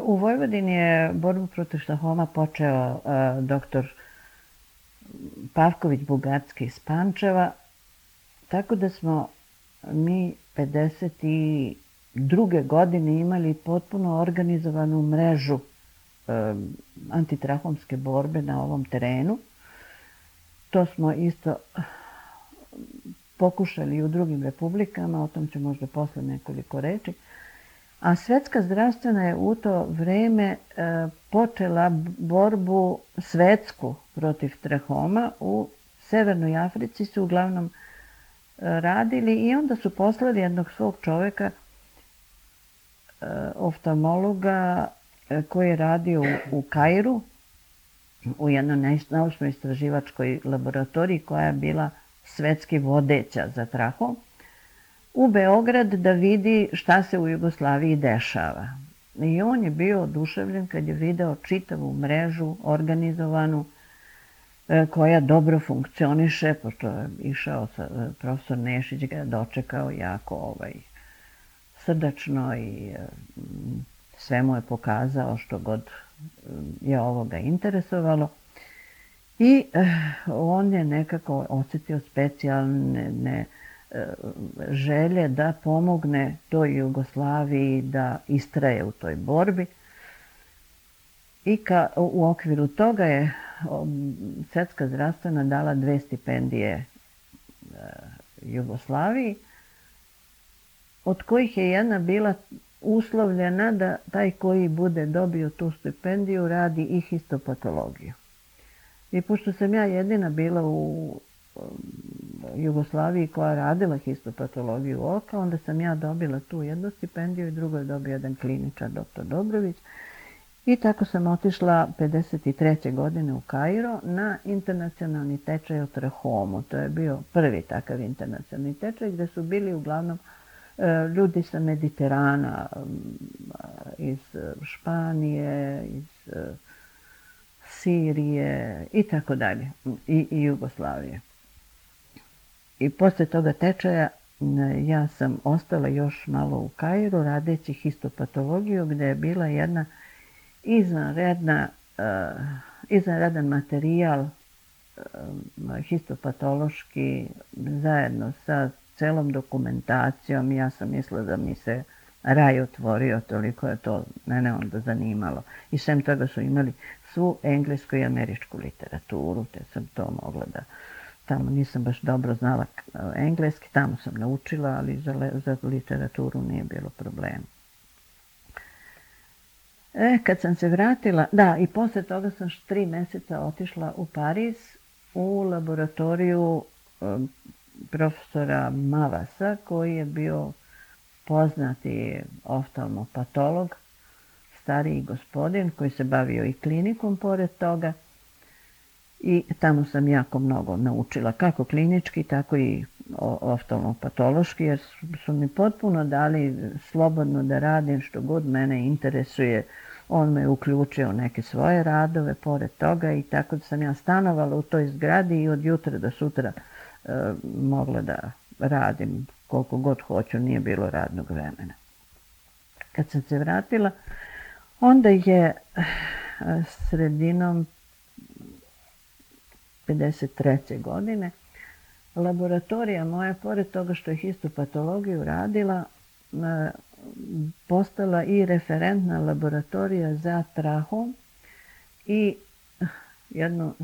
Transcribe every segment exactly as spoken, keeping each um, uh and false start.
U Vojvodini je borbu protiv štahoma počeo doktor Pavković-Bugarski iz Pančeva, tako da smo mi pedeset druge godine imali potpuno organizovanu mrežu antitrahomske borbe na ovom terenu. To smo isto pokušali i u drugim republikama, o tom ću možda posle nekoliko reči. A Svetska zdravstvena je u to vreme počela borbu svetsku protiv trahoma. U Severnoj Africi su uglavnom radili i onda su poslali jednog svog čoveka, oftalmologa, koji je radio u Kairu, u jednoj naučno-istraživačkoj laboratoriji koja je bila svetski vodeća za trahom, u Beograd da vidi šta se u Jugoslaviji dešava. I on je bio oduševljen kad je video čitavu mrežu organizovanu koja dobro funkcioniše, pošto je išao profesor Nešić, ga je dočekao jako ovaj, srdačno i sve mu je pokazao što god je ovoga interesovalo. I on je nekako osjetio specijalne želje da pomogne toj Jugoslaviji da istraje u toj borbi. I ka, u okviru toga je Svetska zdravstvena dala dve stipendije Jugoslaviji, od kojih je jedna bila uslovljena da taj koji bude dobio tu stipendiju radi i histopatologiju. I pošto sam ja jedina bila u Jugoslaviji koja radila histopatologiju oka, onda sam ja dobila tu jednu stipendiju i drugo je dobio jedan kliničar, doktor Dobrović. I tako sam otišla pedeset treće godine u Kairo na internacionalni tečaj o trahomu. To je bio prvi takav internacionalni tečaj gdje su bili uglavnom ljudi sa Mediterana, iz Španije, iz Sirije i tako dalje, i Jugoslavije. I posle toga tečaja ja sam ostala još malo u Kairu radeći histopatologiju gdje je bila jedna izvanredna, izvanredan materijal histopatološki zajedno sa celom dokumentacijom. Ja sam mislila da mi se raj otvorio, toliko je to mene onda zanimalo. I sem toga su imali svu englesku i američku literaturu, te sam to mogla da... Tamo nisam baš dobro znala engleski, tamo sam naučila, ali za, za literaturu nije bilo problema. E, kad sam se vratila, da, i posle toga sam tri meseca otišla u Pariz u laboratoriju um, profesora Mavasa, koji je bio poznati oftalmopatolog, stariji gospodin koji se bavio i klinikom pored toga. I tamo sam jako mnogo naučila, kako klinički, tako i oftalmopatološki, jer su mi potpuno dali slobodno da radim što god mene interesuje. On me uključio neke svoje radove pored toga i tako da sam ja stanovala u toj zgradi i od jutra do sutra e, mogla da radim koliko god hoću, nije bilo radnog vremena. Kad sam se vratila, onda je sredinom pedeset treće godine laboratorija moja, pored toga što je histopatologiju radila, postala i referentna laboratorija za trahom i jedno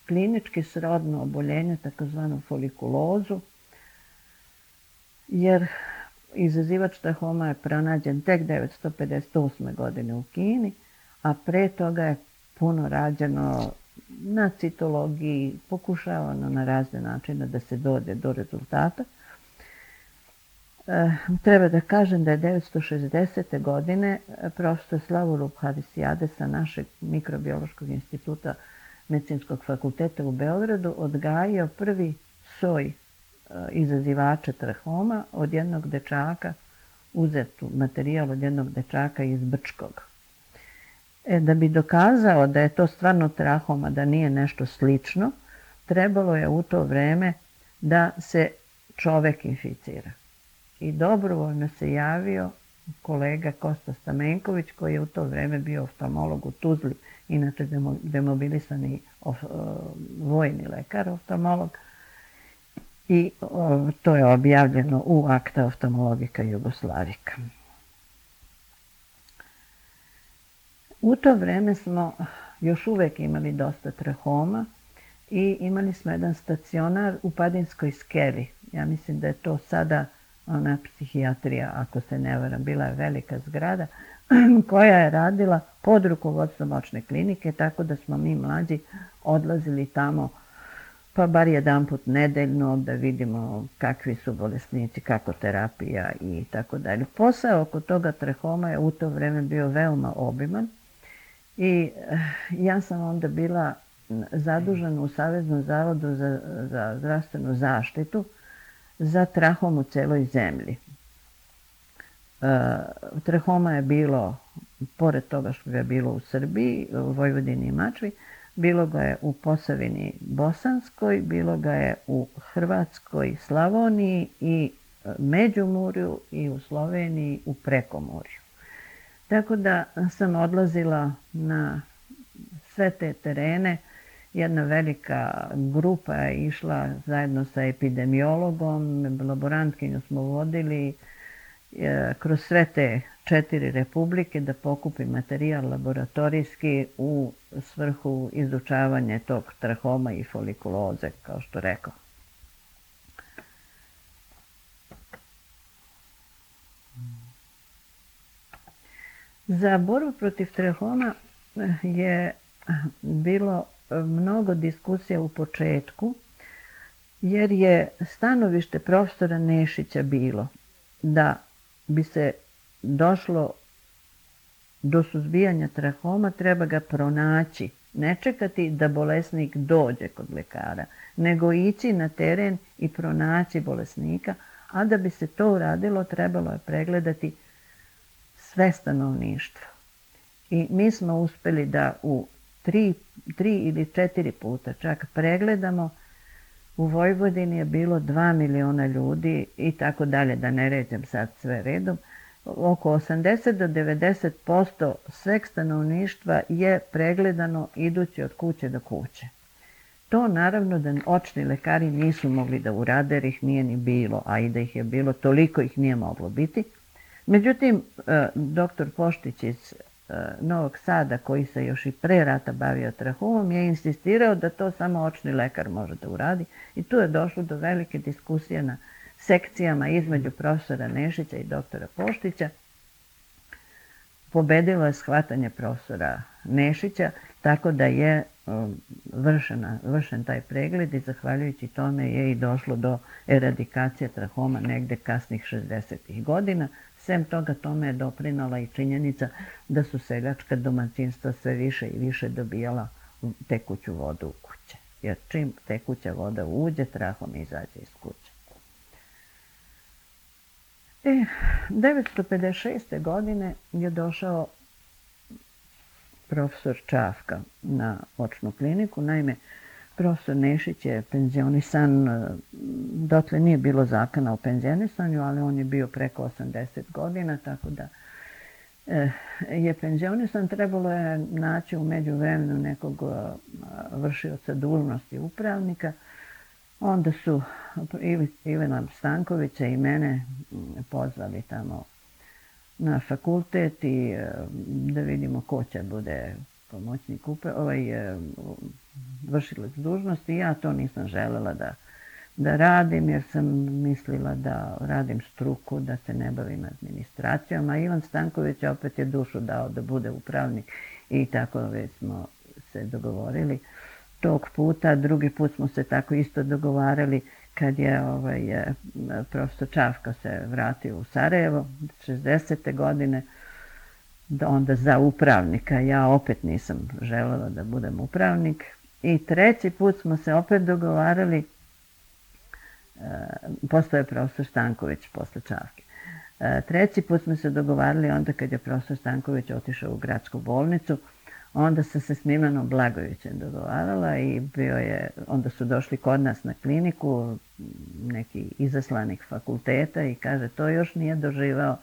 klinički srodno oboljenje, takozvanu folikulozu, jer izazivač trahoma je pronađen tek devetsto pedeset osme. godine u Kini, a pre toga je puno rađeno na citologiji, pokušavano na razne načine da se dođe do rezultata. E, treba da kažem da je devetsto šezdesete. godine profesor Slavoljub Harisijade sa našeg mikrobiološkog instituta Medicinskog fakulteta u Beogradu odgajio prvi soj e, izazivača trahoma od jednog dečaka, uzetu materijal od jednog dečaka iz Brčkog. E, da bi dokazao da je to stvarno trahoma, da nije nešto slično, trebalo je u to vreme da se čovek inficira. I dobrovoljno se javio kolega Kosta Stamenković, koji je u to vreme bio oftalmolog u Tuzli, inače demobilisani of, vojni lekar, oftalmolog. I o, to je objavljeno u Acta Oftalmologica Jugoslavica. U to vreme smo još uvek imali dosta trahoma i imali smo jedan stacionar u Padinskoj skeli. Ja mislim da je to sada ona psihijatrija, ako se ne varam, bila je velika zgrada koja je radila pod rukovodstvom očne klinike, tako da smo mi mlađi odlazili tamo pa bar jedan put nedeljno da vidimo kakvi su bolesnici, kako terapija i tako dalje. Posao oko toga trahoma je u to vreme bio veoma obiman i ja sam onda bila zadužena u Saveznom zavodu za, za zdravstvenu zaštitu za trahom u celoj zemlji. E, trahoma je bilo, pored toga što je bilo u Srbiji, u Vojvodini i Mačvi, bilo ga je u Posavini Bosanskoj, bilo ga je u Hrvatskoj, Slavoniji i Međumurju i u Sloveniji u Prekomorju. Tako da sam odlazila na sve te terene. Jedna velika grupa je išla zajedno sa epidemiologom, laborantkinju smo vodili kroz sve te četiri republike da pokupi materijal laboratorijski u svrhu izučavanja tog trahoma i folikuloze, kao što rekao. Za borbu protiv trahoma je bilo mnogo diskusija u početku, jer je stanovište profesora Nešića bilo da bi se došlo do suzbijanja trahoma, treba ga pronaći. Ne čekati da bolesnik dođe kod lekara, nego ići na teren i pronaći bolesnika, a da bi se to uradilo, trebalo je pregledati sve stanovništvo. I mi smo uspeli da u tri, tri ili četiri puta čak pregledamo. U Vojvodini je bilo dva miliona ljudi i tako dalje, da ne ređem sad sve redom. Oko osamdeset do devedeset posto sveg stanovništva je pregledano idući od kuće do kuće. To naravno da očni lekari nisu mogli da urade, jer ih nije ni bilo, a i da ih je bilo, toliko ih nije moglo biti. Međutim, doktor Poštić iz Novog Sada, koji se još i pre rata bavio trahomom, je insistirao da to samo očni lekar može da uradi i tu je došlo do velike diskusije na sekcijama između profesora Nešića i doktora Poštića. Pobedilo je shvatanje profesora Nešića, tako da je vršena, vršen taj pregled i zahvaljujući tome je i došlo do eradikacije trahoma negde kasnih šezdesetih godina. Sem toga, tome je doprinala i činjenica da su seljačka domaćinstva sve više i više dobijala tekuću vodu u kuće. Jer čim tekuća voda uđe, trahom izađe iz kuće. E, devetsto pedeset šeste. godine je došao profesor Čafka na očnu kliniku. Naime, profesor Nešić je penzionisan, dotle nije bilo zakona o penzionisanju, ali on je bio preko osamdeset godina, tako da je penzionisan. Trebalo je naći u međuvremenu nekog vršioca dužnosti upravnika. Onda su Ivana Stankovića i mene pozvali tamo na fakultet i da vidimo ko će bude pomoćnik ovaj, vršilac dužnosti. Ja to nisam želela da, da radim, jer sam mislila da radim struku, da se ne bavim administracijom, a Ivan Stanković opet je dušu dao da bude upravnik i tako već smo se dogovorili tog puta. Drugi put smo se tako isto dogovarali kad je ovaj, profesor Čafka se vratio u Sarajevo šezdesete. godine, onda za upravnika. Ja opet nisam želela da budem upravnik. I treći put smo se opet dogovarali, postao je profesor Stanković posle Čafke. Treći put smo se dogovarali onda kad je profesor Stanković otišao u gradsku bolnicu. Onda sam se s Milanom Blagovićem dogovarala i bio je, onda su došli kod nas na kliniku neki izaslanik fakulteta i kaže, to još nije doživao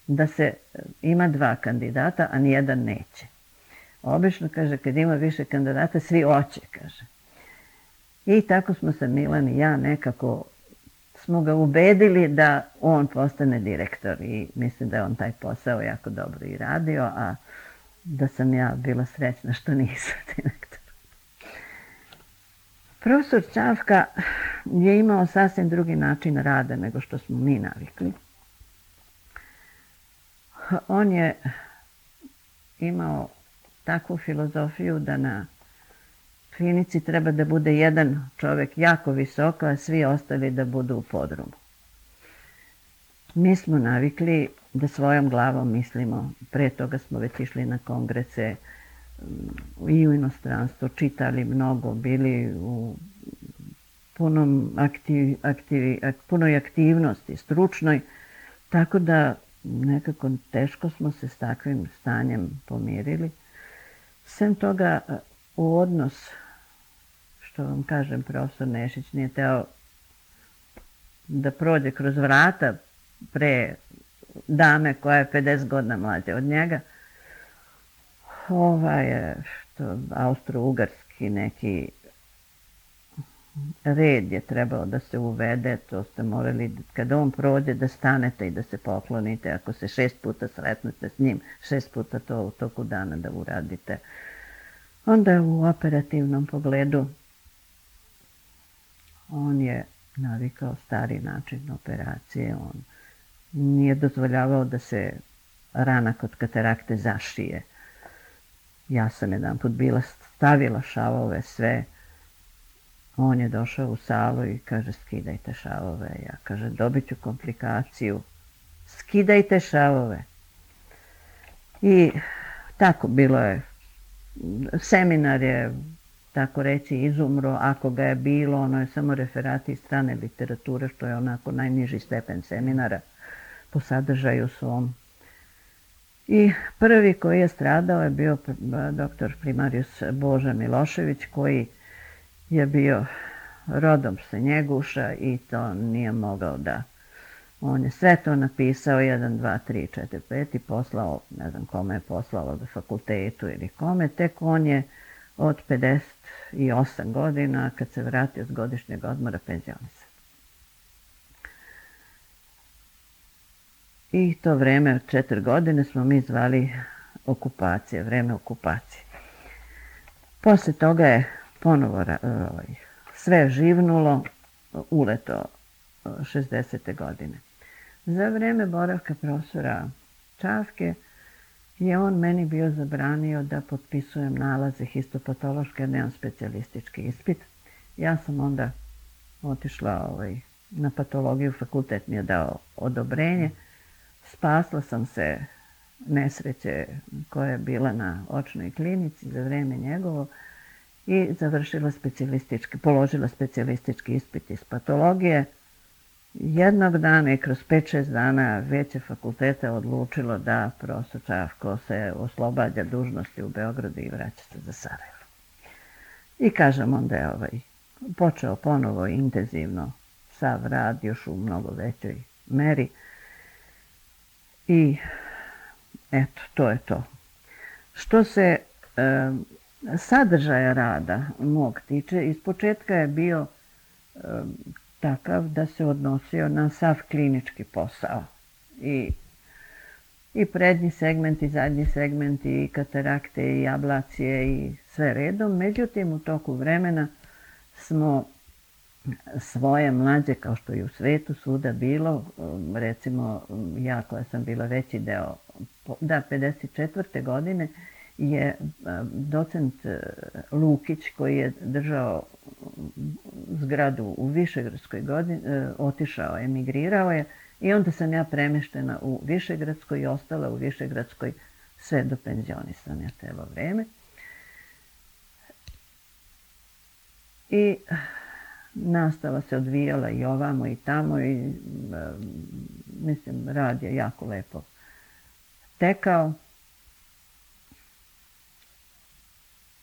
da se ima dva kandidata, a nijedan neće. Obično, kaže, kad ima više kandidata, svi hoće, kaže. I tako smo se Milan i ja nekako smo ga ubedili da on postane direktor i mislim da je on taj posao jako dobro i radio, a da sam ja bila srećna što nisam direktor. Profesor Čavka je imao sasvim drugi način rada nego što smo mi navikli. On je imao takvu filozofiju da na klinici treba da bude jedan čovjek jako visoko, a svi ostali da budu u podrumu. Mi smo navikli da svojom glavom mislimo. Pre toga smo već išli na kongrese i u inostranstvu, čitali mnogo, bili u punom aktiv, aktivi, punoj aktivnosti, stručnoj, tako da nekako teško smo se s takvim stanjem pomirili. Sem toga, u odnos, što vam kažem, profesor Nešić nije teo da prođe kroz vrata pre dame koja je pedeset godina mlađa od njega. Ovaj je što, austro-ugarski neki red je trebao da se uvede, to ste morali, kada on prođe, da stanete i da se poklonite. Ako se šest puta sretnete s njim, šest puta to u toku dana da uradite. Onda u operativnom pogledu on je navikao stari način operacije. On nije dozvoljavao da se rana kod katarakte zašije. Ja sam jedan put bila stavila šavove sve. On je došao u salu i kaže, skidajte šavove. Ja kaže, dobit ću komplikaciju. Skidajte šavove. I tako bilo je. Seminar je, tako reći, izumro. Ako ga je bilo, ono je samo referati iz strane literature, što je onako najniži stepen seminara po sadržaju svom. I prvi koji je stradao je bio doktor primarius Boža Milošević, koji je bio rodom sa Njeguša i to nije mogao da. On je sve to napisao, jedan, dva, tri, četiri, pet i poslao, ne znam kome je poslao, da fakultetu ili kome, tek on je od pedeset osam godina, kad se vratio s godišnjeg odmora, penzionisan. I to vreme od četiri godine smo mi zvali okupacije, vreme okupacije. Posle toga je ponovo sve živnulo, uleto šezdesete godine. Za vreme boravka profesora Čavke je on meni bio zabranio da potpisujem nalaze histopatološke, jer nemam specijalistički ispit. Ja sam onda otišla ovaj, na patologiju, fakultet mi je dao odobrenje. Spasla sam se nesreće koja je bila na očnoj klinici za vreme njegovo i završila specijalistički, položila specijalistički ispit iz patologije. Jednog dana i kroz pet šest dana Veće fakulteta odlučilo da profesor Čavko se oslobađa dužnosti u Beogradu i vraća se za Sarajevo. I kažem, onda je ovaj, počeo ponovo intenzivno sav rad, još u mnogo većoj meri. I eto, to je to. Što se e, sadržaja rada mog tiče, iz početka je bio e, takav da se odnosio na sav klinički posao. I, i prednji segment, i zadnji segment, i katarakte, i ablacije, i sve redom. Međutim, u toku vremena smo svoje mlađe, kao što i u svetu svuda bilo, recimo ja koja sam bila veći deo, da, pedeset četvrte godine je docent Lukić, koji je držao zgradu u Višegradskoj godini, otišao, emigrirao je i onda sam ja premeštena u Višegradskoj i ostala u Višegradskoj sve do penzionisanja celo vreme. I nastava se odvijala i ovamo i tamo i mislim, rad je jako lepo tekao.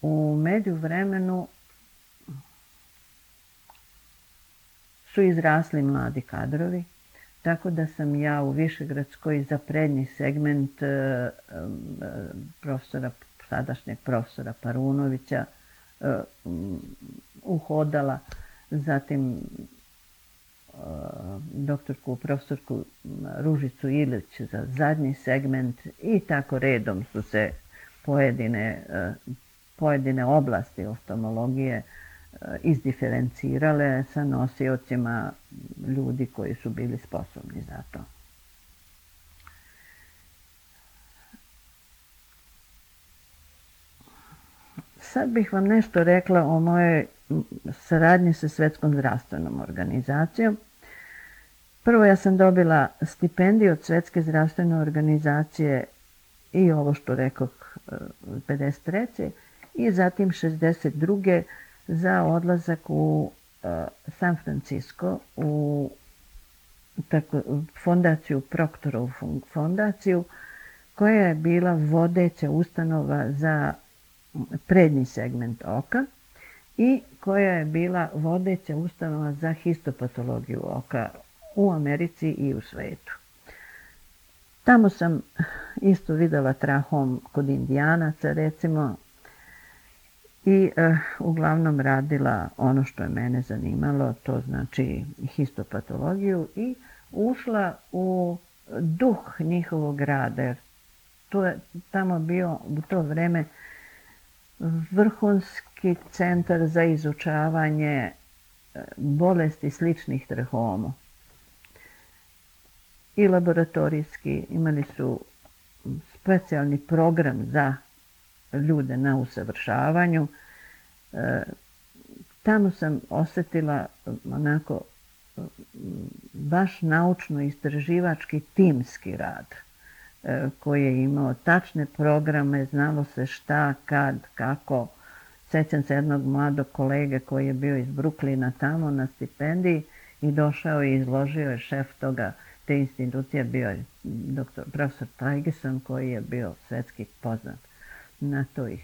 U međuvremenu su izrasli mladi kadrovi, Tako da sam ja u Višegradskoj za prednji segment profesora, sadašnjeg profesora Parunovića uhodala, zatim doktorku, profesorku Ružicu Ilić za zadnji segment i tako redom su se pojedine, pojedine oblasti oftalmologije izdiferencirale sa nosiocima ljudi koji su bili sposobni za to. Sad bih vam nešto rekla o mojoj saradnji sa Svetskom zdravstvenom organizacijom. Prvo, ja sam dobila stipendiju od Svetske zdravstvene organizacije i ovo što rekoh pedeset treće i zatim šezdeset druge za odlazak u San Francisco u tako, fondaciju, Proktorovu fondaciju, koja je bila vodeća ustanova za prednji segment oka i koja je bila vodeća ustanova za histopatologiju oka u Americi i u svetu. Tamo sam isto videla trahom kod Indijanaca, recimo, i uh, uglavnom radila ono što je mene zanimalo, to znači histopatologiju, i ušla u duh njihovog rada, jer to je tamo bio u to vreme vrhunski centar za izučavanje bolesti sličnih trahoma. I laboratorijski imali su specijalni program za ljude na usavršavanju. E, tamo sam osjetila onako baš naučno-istraživački timski rad e, koji je imao tačne programe, znalo se šta, kad, kako. Sjećam se jednog mladog kolege koji je bio iz Brooklyna tamo na stipendiji i došao i izložio je šef toga, te institucije, bio je doktor, profesor Tajgeson, koji je bio svetski poznat na toj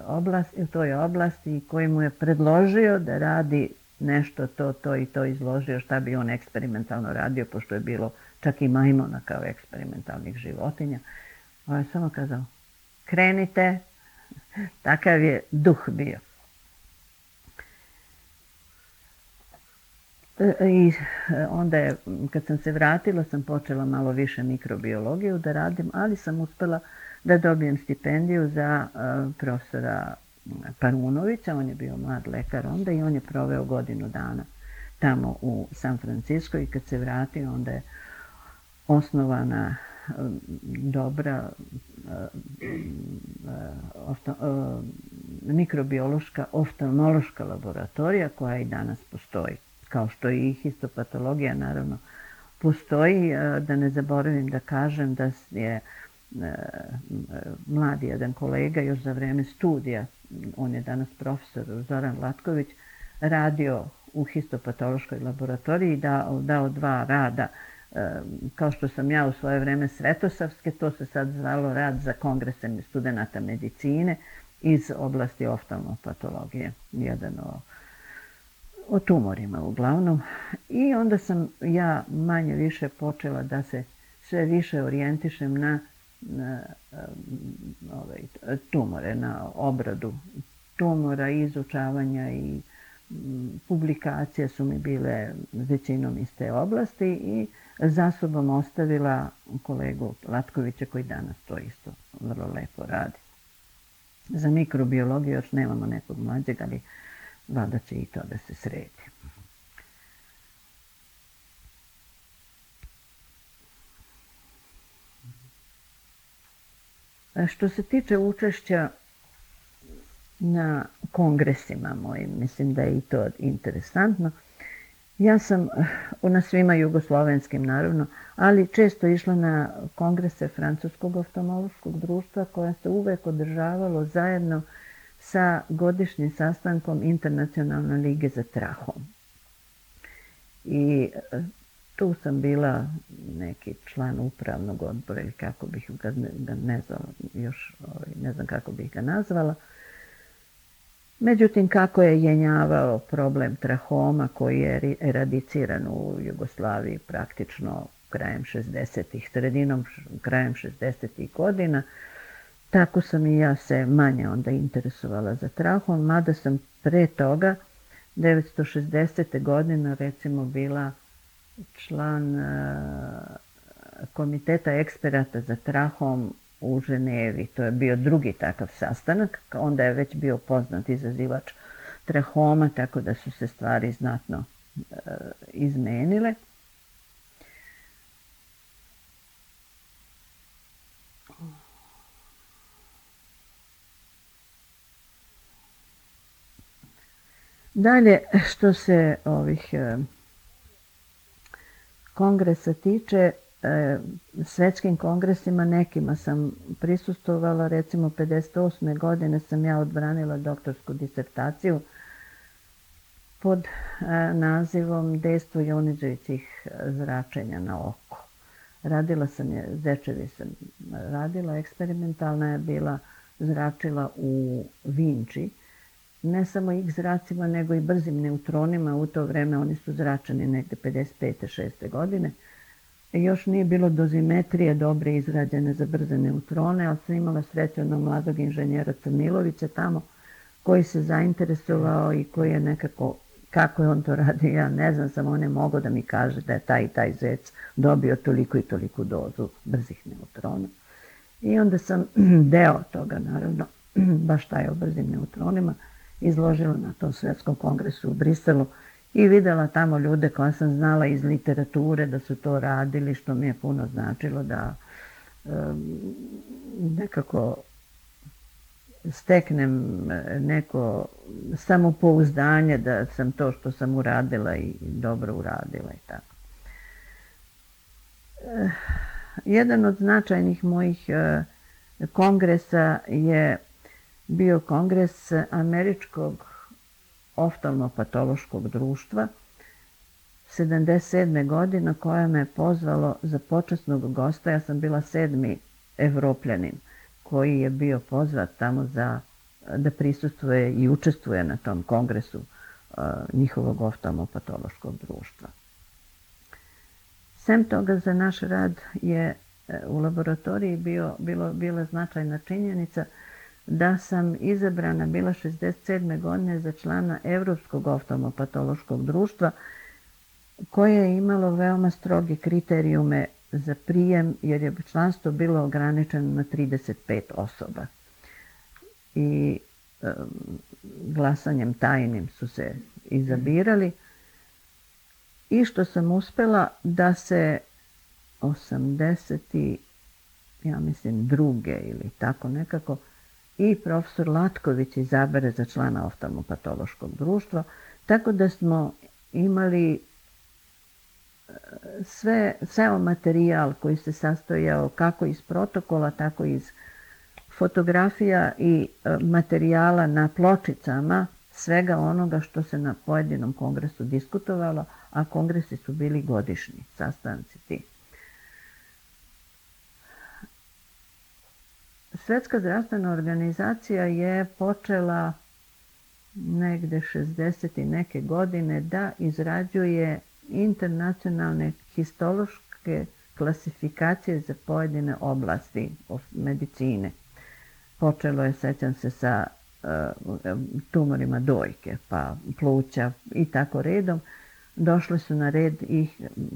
oblasti, u toj oblasti i koji mu je predložio da radi nešto to, to i to, izložio šta bi on eksperimentalno radio, pošto je bilo čak i majmuna kao eksperimentalnih životinja. On je samo kazao, krenite, takav je duh bio. I onda je, kad sam se vratila, sam počela malo više mikrobiologiju da radim, ali sam uspela da dobijem stipendiju za uh, profesora Parunovića. On je bio mlad lekar onda i on je proveo godinu dana tamo u San Francisco i kad se vratio onda je osnovana uh, dobra uh, uh, ofta, uh, mikrobiološka oftalmološka laboratorija koja i danas postoji. Kao što i histopatologija naravno postoji. Uh, da ne zaboravim da kažem da je mladi jedan kolega još za vreme studija, on je danas profesor Zoran Latković, radio u histopatološkoj laboratoriji, dao, dao dva rada, kao što sam ja u svoje vreme Svetosavske, to se sad zvalo rad za kongresem studenata medicine iz oblasti oftalmopatologije, jedan o, o tumorima uglavnom. I onda sam ja manje više počela da se sve više orijentišem na na ovaj, tumore, na obradu tumora, izučavanja i m, publikacije su mi bile većinom iz te oblasti i za sobom ostavila kolegu Latkovića koji danas to isto vrlo lepo radi. Za mikrobiologiju još nemamo nekog mlađeg, ali valjda će i to da se sredi. Što se tiče učešća na kongresima mojim, mislim da je i to interesantno. Ja sam na svima jugoslovenskim naravno, ali često išla na kongrese Francuskog oftalmološkog društva koja se uvek održavalo zajedno sa godišnjim sastankom Internacionalne lige za trahom. I tu sam bila neki član upravnog odbora ili kako bih ga ne znam još, ne znam kako bih ga nazvala. Međutim, kako je jenjavao problem trahoma koji je eradiciran u Jugoslaviji praktično krajem šezdesetih, sredinom krajem šezdesetih godina, tako sam i ja se manje onda interesovala za trahom, mada sam pre toga, devetsto šezdesete godine, recimo bila član komiteta eksperata za trahom u Ženevi. To je bio drugi takav sastanak, onda je već bio poznat izazivač trahoma, tako da su se stvari znatno e, izmenile. Dalje, što se ovih e, kongresa tiče, e, svetskim kongresima nekima sam prisustvovala, recimo pedeset osme godine sam ja odbranila doktorsku disertaciju pod e, nazivom Dejstvo jonizujućih zračenja na oko. Radila sam je, Zečevi sam radila, eksperimentalna je bila zračila u Vinči, ne samo X zracima, nego i brzim neutronima. U to vreme oni su zračeni negde pedeset pete šeste godine. I još nije bilo dozimetrije dobre izrađene za brze neutrone, ali sam imala sreću na mladog inženjera Crnilovića tamo, koji se zainteresovao i koji je nekako, kako je on to radio, ja ne znam, samo on je mogao da mi kaže da je taj i taj zec dobio toliko i toliku dozu brzih neutrona. I onda sam deo toga, naravno, baš taj o brzim neutronima, izložila na tom svetskom kongresu u Briselu i videla tamo ljude koja sam znala iz literature da su to radili, što mi je puno značilo da um, nekako steknem neko samopouzdanje da sam to što sam uradila i dobro uradila i tako. E, jedan od značajnih mojih e, kongresa je bio kongres Američkog oftalmopatološkog društva sedamdeset sedme godine, koja me pozvalo za počasnog gosta. Ja sam bila sedmi Evropljanin koji je bio pozvat tamo za, da prisustvuje i učestvuje na tom kongresu uh, njihovog oftalmopatološkog društva. Sem toga, za naš rad je u laboratoriji bio, bilo, bila značajna činjenica da sam izabrana bila šezdeset sedme godine za člana Evropskog oftalmopatološkog društva, koje je imalo veoma stroge kriterijume za prijem, jer je članstvo bilo ograničeno na trideset pet osoba. I e, glasanjem tajnim su se izabirali. I što sam uspela da se osamdeset, ja mislim, druge ili tako nekako, i profesor Latković izabere za člana oftalmopatološkog društva, tako da smo imali sve, ceo materijal koji se sastojao kako iz protokola, tako iz fotografija i materijala na pločicama, svega onoga što se na pojedinom kongresu diskutovalo, a kongresi su bili godišnji sastanci ti. Svetska zdravstvena organizacija je počela negde šezdeset i neke godine da izrađuje internacionalne histološke klasifikacije za pojedine oblasti medicine. Počelo je, sećam se, sa uh, tumorima dojke, pa pluća i tako redom. Došle su na red i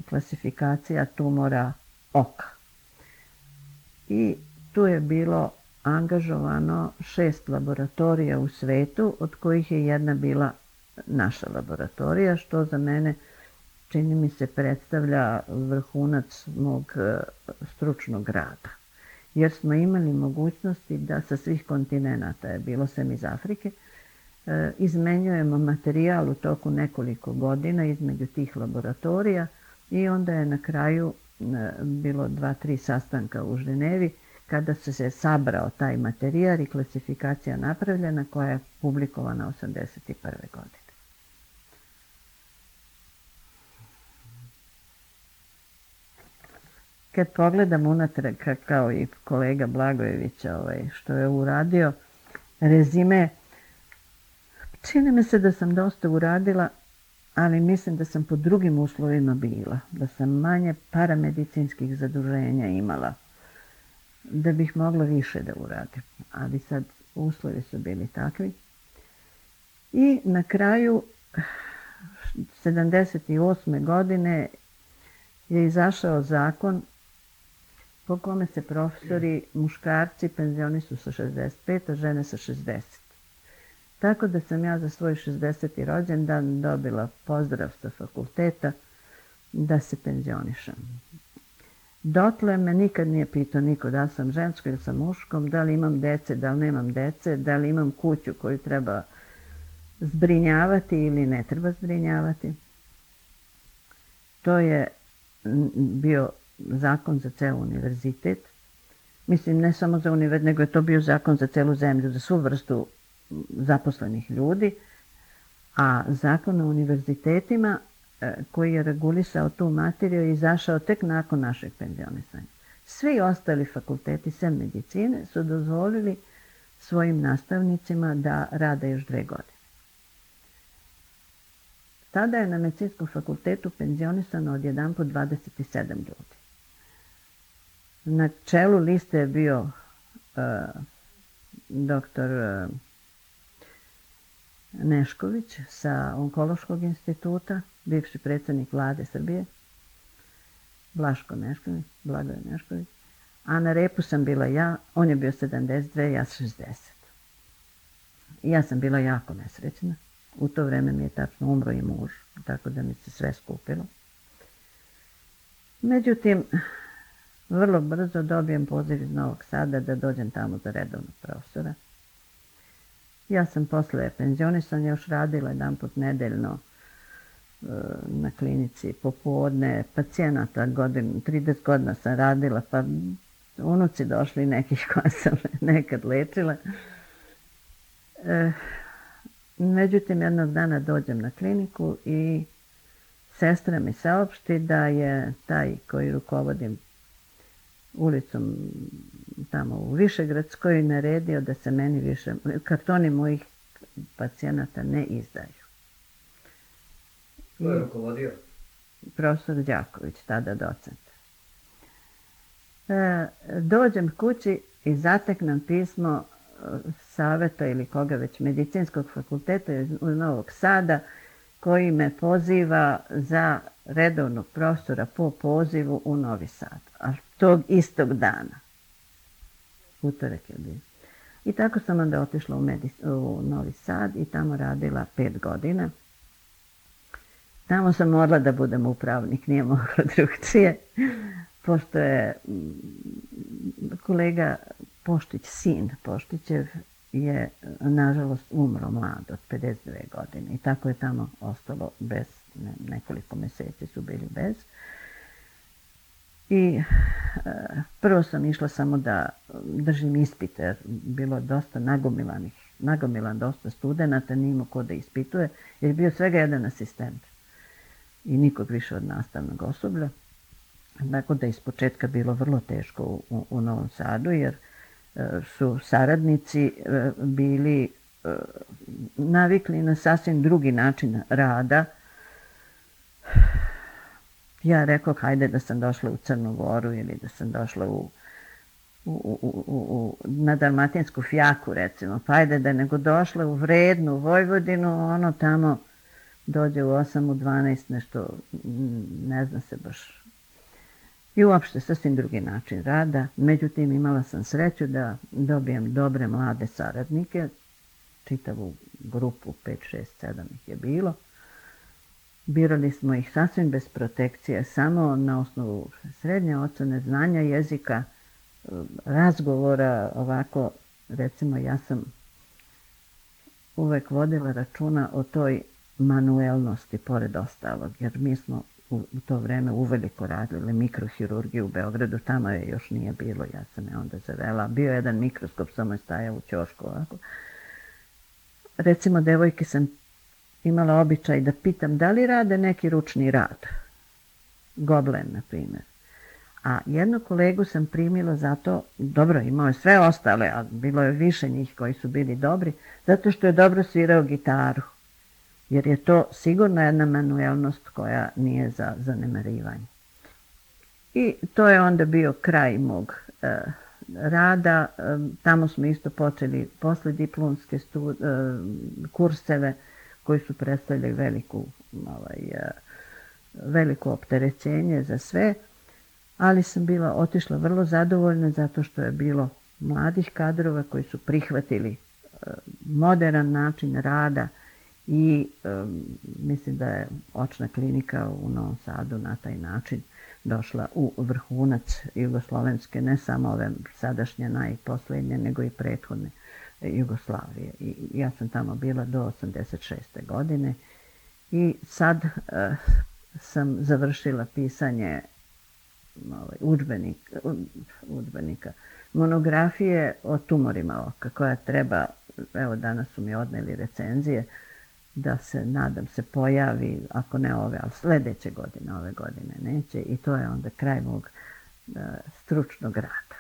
klasifikacija tumora oka. I tu je bilo angažovano šest laboratorija u svetu, od kojih je jedna bila naša laboratorija, što za mene, čini mi se, predstavlja vrhunac mog stručnog rada. Jer smo imali mogućnosti da sa svih kontinenata, je bilo sem iz Afrike, izmenjujemo materijal u toku nekoliko godina između tih laboratorija i onda je na kraju bilo dva, tri sastanka u Ženevi kada se se sabrao taj materijal i klasifikacija napravljena, koja je publikovana osamdeset prve godine. Kad pogledam unatrag, kao i kolega Blagojević, ovaj, što je uradio, rezime Čini mi se da sam dosta uradila, ali mislim da sam pod drugim uslovima bila, da sam manje paramedicinskih zaduženja imala, da bih mogla više da uradim. Ali sad uslovi su bili takvi. I na kraju sedamdeset osme godine je izašao zakon po kome se profesori muškarci penzionišu sa šezdeset pet, a žene sa šezdeset. Tako da sam ja za svoj šezdeseti rođendan dobila pozdrav sa fakulteta da se penzionišem. Dotle me nikad nije pitao niko da li sam žensko ili sam muškom, da li imam dece, da li nemam dece, da li imam kuću koju treba zbrinjavati ili ne treba zbrinjavati. To je bio zakon za ceo univerzitet. Mislim, ne samo za univerzitet, nego je to bio zakon za celu zemlju, za svu vrstu zaposlenih ljudi. A zakon o univerzitetima koji je regulisao tu materiju je izašao tek nakon našeg penzionisanja. Svi ostali fakulteti, sem medicine, su dozvolili svojim nastavnicima da rade još dve godine. Tada je na medicinskom fakultetu penzionisano odjedanput dvadeset sedam ljudi. Na čelu liste je bio uh, doktor uh, Nešković sa Onkološkog instituta, bivši predsjednik vlade Srbije, Blaško Nešković, Blagoje Nešković, a na repu sam bila ja, on je bio sedamdeset dve, ja šezdeset. I ja sam bila jako nesrećna. U to vreme mi je tačno umro i muž, tako da mi se sve skupilo. Međutim, vrlo brzo dobijem poziv iz Novog Sada da dođem tamo za redovnog profesora. Ja sam posle penzionisanja još radila jedan put nedeljno na klinici popodne, pacijenata godinu, trideset godina sam radila, pa unuci došli nekih koja sam nekad lečila. E, međutim, jednog dana dođem na kliniku i sestra mi saopšti da je taj koji rukovodim ulicom tamo u Višegradskoj naredio da se meni više, kartoni mojih pacijenata ne izdaju. Ko je rukovodio? Profesor Đaković, tada docent. E, dođem kući i zateknem pismo saveta ili koga već medicinskog fakulteta iz Novog Sada koji me poziva za redovnog profesora po pozivu u Novi Sad. A tog istog dana. Utorak je bio. I tako sam onda otišla u, Medic- u Novi Sad i tamo radila pet godina. Tamo sam morala da budem upravnik, nije mogla drugčije, pošto je kolega Poštić, sin Poštićev, je nažalost umro mlad od pedeset dve godine i tako je tamo ostalo bez, ne, nekoliko meseci su bili bez. I e, prvo sam išla samo da držim ispite, jer bilo dosta nagomilanih, nagomilan dosta studenata, nije imao ko da ispituje, jer je bio svega jedan asistent i nikog više od nastavnog osoblja. Tako da je iz početka bilo vrlo teško u, u Novom Sadu, jer su saradnici bili navikli na sasvim drugi način rada. Ja rekao, hajde da sam došla u Crnu Goru ili da sam došla u, u, u, u, na Dalmatinsku Fjaku, recimo, pa hajde da nego došla u Vrednu, Vojvodinu, ono tamo dođe u osam, u dvanaest, nešto, ne zna se baš. I uopšte sasvim drugi način rada. Međutim, imala sam sreću da dobijem dobre mlade saradnike, čitavu grupu, pet, šest, sedam ih je bilo. Birali smo ih sasvim bez protekcije, samo na osnovu srednje ocene, znanja jezika, razgovora, ovako, recimo ja sam uvek vodila računa o toj manuelnosti, pored ostalog, jer mi smo u to vreme uveliko radili mikrohirurgiju u Beogradu, tamo je još nije bilo, ja sam je onda zavela. Bio je jedan mikroskop, samo je stajao u ćošku ovako. Recimo, devojke sam imala običaj da pitam da li rade neki ručni rad. Goblen, na primjer. A jednu kolegu sam primila zato, dobro, imao je sve ostale, a bilo je više njih koji su bili dobri, zato što je dobro svirao gitaru. Jer je to sigurno jedna manuelnost koja nije za zanemarivanje. I to je onda bio kraj mog e, rada. E, tamo smo isto počeli posle diplomske stu, e, kurseve koji su predstavljali veliku, ovaj, e, veliko opterećenje za sve, ali sam bila otišla vrlo zadovoljna zato što je bilo mladih kadrova koji su prihvatili e, modern način rada i e, mislim da je očna klinika u Novom Sadu na taj način došla u vrhunac jugoslovenske, ne samo ove sadašnje najposlednje, nego i prethodne Jugoslavije. I ja sam tamo bila do osamdeset šeste godine i sad e, sam završila pisanje ovaj, udžbenik, udžbenika, monografije o tumorima oka, koja treba, evo danas su mi odneli recenzije, da se, nadam se, pojavi, ako ne ove, ali sledeće godine, ove godine neće, i to je onda kraj mog uh, stručnog rada.